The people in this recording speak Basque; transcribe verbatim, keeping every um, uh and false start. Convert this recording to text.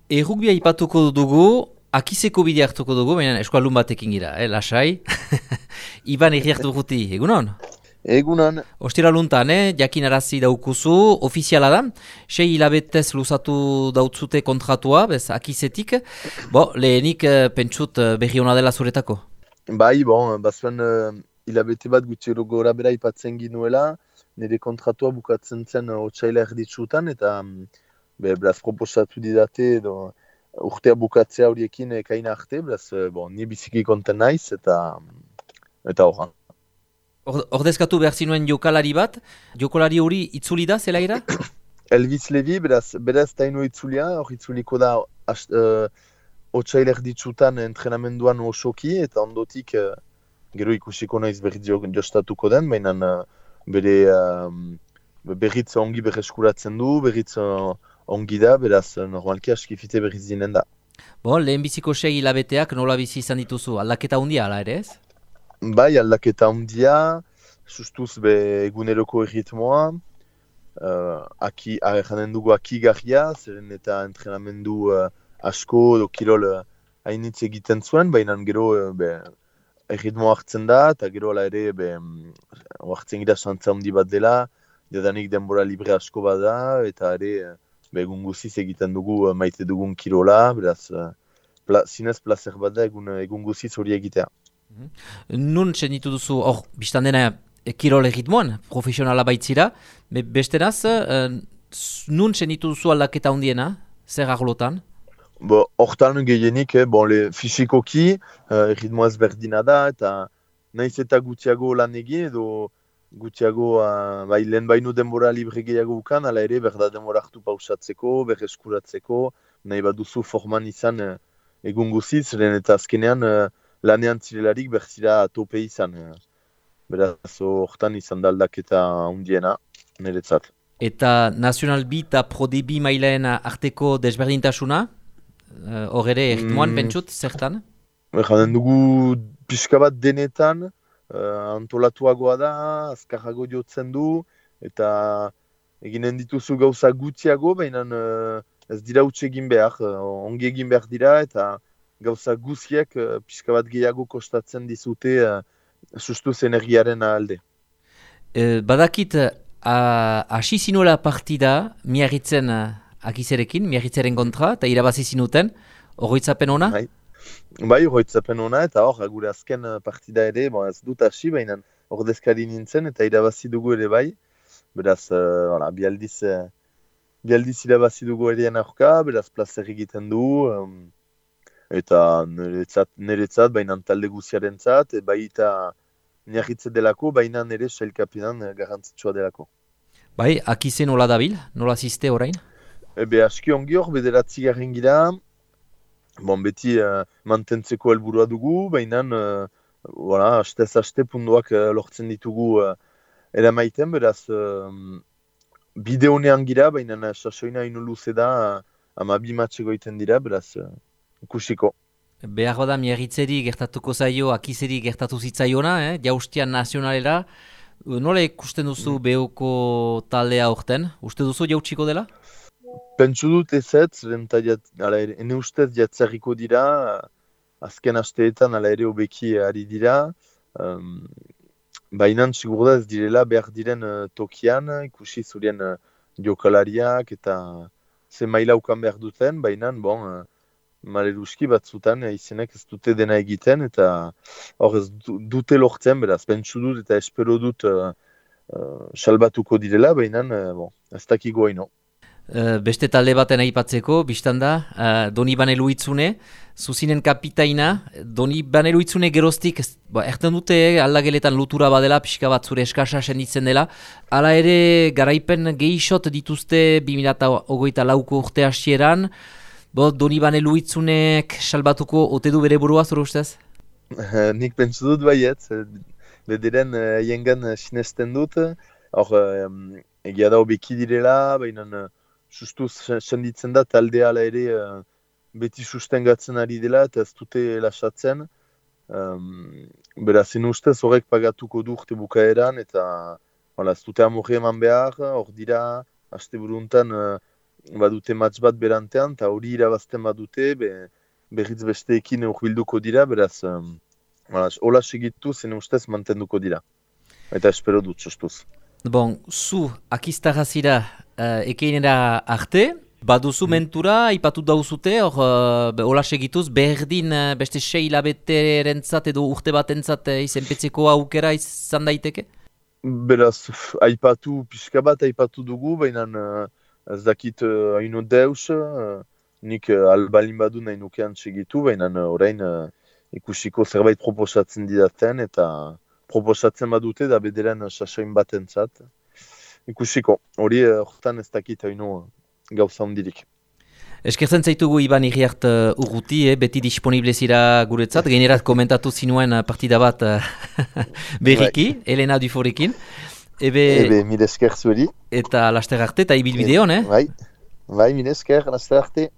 Errugbia ipatuko dugu, akizeko bidea hartuko dugu, baina eskualdun batekin gira, eh, lasai. Iban Iriarte Urruti, egunon? Egunon, Ostira luntan, eh, jakinarazi daukuzu, ofiziala da, sei hilabetez luzatu dautzute kontratua, bez, akizetik. Bo, lehenik eh, pentsut eh, berri ona dela zuretako. bai, bon, bazuen uh, hilabete bat gutxi gora bera ipatzen ginuela, nire kontratua bukatzen zen uh, otsaila erditsutan, eta um, be, beraz proposatu didate edo urtea bukatzea horiekin ekaina arte, beraz, uh, bon, ni biziki konten naiz, eta eta horran. Or- Ordezkatu behar zinuen jokalari bat, jokalari hori itzuli da, zelaira? Elvis Levi, beraz, beraz taino itzulia, hor itzuliko da ast, uh, otsaila erditsutan entrenamenduan osoki, eta ondotik uh, gero ikusiko naiz berriz jo- jostatuko den, baina uh, bere um, berriz ongi berreskuratzen du, berriz uh, ongi da, beraz uh, normalki askifite berriz dinen da. Bo, lehenbiziko sei hilabeteak nola bizi izan dituzu, aldaketa handia ala ere ez? Bai, aldaketa handia, sustuz be eguneroko erritmoa, uh, aki, janen dugu akigarria, zeren eta entrenamendu uh, asko edo kirol uh, hainitz egiten zuen, baina gero uh, be, erritmo hartzen da, eta gero ala ere be, mm, hartzen gira santza handi bat dela, jadanik denbora libre asko bada, eta ere eh, be, egun guziz egiten dugu eh, maite dugun kirola, beraz, eh, pla, zinez plazer bat da egun, egun guziz hori egitea. Nun senitu duzu, hor, biztan dena e, kirol erritmoan, profesionala baitzira, be, besteraz, e, s- nun senitu duzu aldaketa handiena, zer arlotan? Bo, hortan gehienik, eh, bon, le, fisikoki, eh, erritmo ezberdina da, eta naiz eta gutxiago lan egin, edo gutxiago, uh, bai, lehen baino denbora libre gehiago ukan, ala ere, berda denbora hartu pausatzeko, berreskuratzeko, nahi baduzu forman izan eh, egun guziz, lehen eta azkenean eh, lanean zirelarik berzira tope izan. eh. Beraz, hortan izan da aldaketa handiena, niretzat. Eta National B eta Pro D B mailaen arteko desberdintasuna, e, hor ere erritmoan Mm, pentsut, zertan? Janen dugu pixka bat denetan, eh, antolatuagoa da, azkarrago jotzen du, eta eginen dituzu gauza gutxiago, baina eh, ez dira utxe egin behar, eh, ongi egin behar dira, eta gauza guztiak eh, pixka bat gehiago kostatzen dizute eh, sustuz energiaren alde. E, badakit, a- hasi zinuela partida, miarritzen uh, akizerekin, miarritzaren kontra, eta irabazi zinuten, horroitzapen ona? Bai, bai horretzapen ona, eta hor, gure azken eh, partida ere, bon, ez dut hasi, baina ordezkari nintzen, eta irabazi dugu ere bai, beraz, uh, voilà, bi aldiz, eh, bi aldiz irabazi dugu erean aurka, beraz plazer egiten du, um, eta niretzat, niretzat baina talde guziarentzat, e, baita niarritze delako, baina nire sailkapenan eh, garrantzitsua delako. Bai, akizen nola dabil, nola ziste orain? Ebe aski ongi hor, bederatzi garen gira, bon, beti eh, mantentzeko helburua dugu, baina uh, voilà, astez aste punduak eh, lortzen ditugu uh, eramaiten, beraz uh, bide honean gira, baina sasoina ino luze da, uh, ama bi matxe goiten dira, beraz uh, ikusiko. Behar bada miarritzeri gertatuko zaio, akizeri gertatu zitzaiona, eh? Jaustian nazionalera. Nola ikusten duzu behoko taldea aurten? Uste duzu jautsiko dela? Pentsu dut ezetz, renta jat, ala ere, ene ustez jatzarriko dira, azken asteetan ala ere hobeki ari dira, um, baina sigur da ez direla behar diren eh, tokian, ikusi zurien uh, jokalariak eta ze maila ukan behar duten, baina bon, uh, maleruski batzutan eh, izenek ez dute dena egiten, eta hor ez du- dute lortzen, beraz, pentsu dut eta espero dut uh, uh, salbatuko direla, baina uh, bon, ez dakigo haino. Eh, beste talde baten aipatzeko, biztan da, uh, Doni Banelu Itzune, zuzinen kapitaina, Doni Banelu Itzune geroztik, ez- ba, erten dute eh, aldageletan lutura badela, pixka bat zure eskasa senditzen dela, hala ere garaipen gehixot dituzte bi mila hogeita lauko urte hasieran, bo, Doni Banelu Itzunek salbatuko ote du bere burua zure ustez? Nik pentsu dut baiet, bederen uh, jengan uh, sinesten dut, hor um, egia da hobeki direla, baina uh, sustu sen- senditzen da taldea ala ere uh, beti sustengatzen ari dela eta ez dute lasatzen. Um, beraz, zen ustez horrek pagatuko du urte bukaeran eta voilà, ez dute amorri eman behar, hor dira, aste buruntan uh, badute match bat berantean, eta hori irabazten badute, be, berriz besteekin urbilduko dira, beraz, um, hola segitu zen ustez mantenduko dira. Eta espero dut, sostuz. Bon, zu, akiztarazira uh, ekeinera arte, baduzu mentura, ipatu dauzute, hor, uh, hola segituz, berdin uh, beste sei hilabeterentzat edo urte batentzat uh, izenpetzeko aukera izan daiteke? Beraz, aipatu, pixka bat aipatu dugu, baina uh, ez dakit uh, haino deus, uh, nik uh, albalin badu nahi nukean segitu, baina uh, orain uh, ikusiko zerbait proposatzen didaten, eta proposatzen badute da bederen uh, sasoin batentzat. Ikusiko, hori horretan uh, ez dakit haino uh, gauza hondirik. Eskertzen zaitugu Iban Iriart uh, urruti, eh, beti disponible zira guretzat, generat komentatu zinuen uh, partida bat uh, berriki, right. Elena Duforekin. Ebe, Ebe mire esker zueri. Eta laster arte, eta ibilbide hon, eh? Bai, bai mire esker, laster arte.